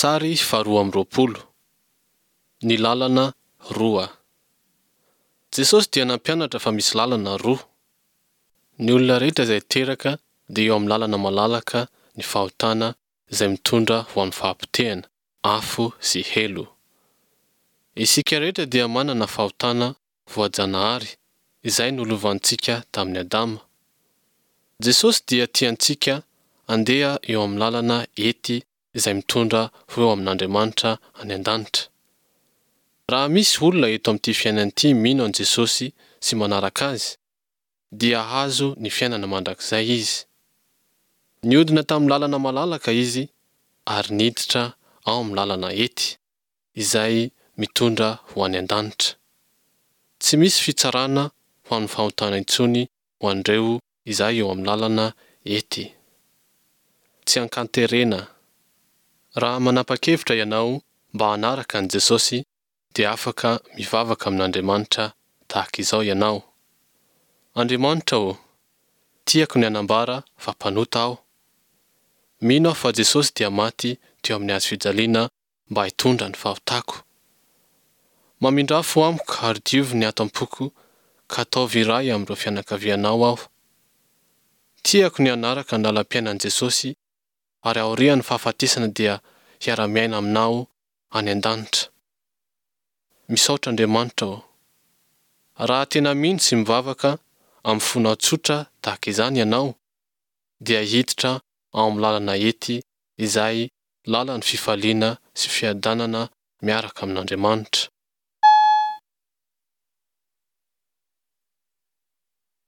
Sary faharoa amby 20. Ny lalana roa. Jesosy dia nampianatra fa misy lalana roa. Ny olona rehetra izay teraka dia eo amin'ny lalana malalaka ny fahotana izay mitondra ho amin'ny fahapotehana, afo sy helo. Isika rehetra dia manana fahotana voajanahary izay nolovantsika tamin'i Adama. Jesosy dia tia antsika andeha eo amin'ny lalana ety izay mitondra ho eo amin'Andriamanitra any an-danitra. Raha misy olona eto amin'ity fiainana ity mino an'i Jesosy sy manaraka Azy, dia hahazo ny fiainana mandrakizay izy. Niodina tamin'ny lalana malalaka izy ary niditra ao amin'ny lalana ety, izay mitondra ho any an-danitra. Tsy misy fitsarana ho amin'ny fahotana intsony ho an'ireo izay eo amin'ny lalana ety. Tsy ankanterena. Raha manapa-kevitra ianao mba hanaraka an'i Jesosy dia afaka mivavaka amin'Andriamanitra tahaka izao ianao, Andriamanitra ô, tiako ny hanambara fa mpanota aho. Mino aho fa Jesosy dia maty teo amin'ny hazo fijaliana mba hitondra ny fahotako. Mamindrà fo amiko ary diovy ny ato am-poko ka ataovy iray amin'ireo fianakavianao aho. Tiako ny hanaraka ny lalam-piainan'i Jesosy ary aorian'ny fahafatesana dia hiara-miaina aminao any an-danitra. Misaotra Andriamanitra ô. Raha tena mino sy mivavaka amin'ny fonao tsotra tahaka izany ianao, dia hiditra ao amin'ny lalana ety izay lalan'ny fifaliana sy fiadanana miaraka amin'Andriamanitra.